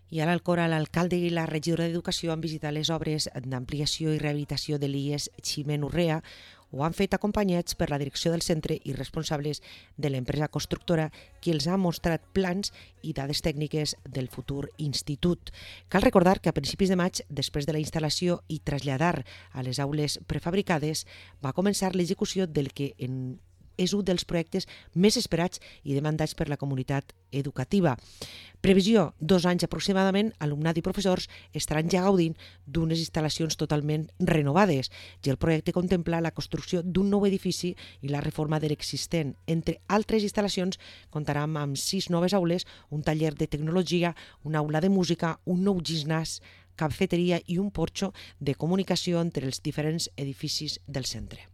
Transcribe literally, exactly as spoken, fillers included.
I ara al Cora, l'alcalde i la regidora d'Educació han visitat les obres d'ampliació i rehabilitació de l'I E S Ximen Urrea. Ho han fet acompanyats per la direcció del centre i responsables de l'empresa constructora, qui els ha mostrat plans i dades tècniques del futur institut. Cal recordar que a principis de maig, després de la instal·lació i traslladar a les aules prefabricades, va començar l'execució del que en és un dels projectes més esperats i demandats per la comunitat educativa. Previsió, dos anys aproximadament, alumnat i professors estaran ja gaudint d'unes instal·lacions totalment renovades i el projecte contempla la construcció d'un nou edifici i la reforma de l'existent. Entre altres instal·lacions, comptarà amb sis noves aules, un taller de tecnologia, una aula de música, un nou gimnàs, cafeteria i un porxo de comunicació entre els diferents edificis del centre.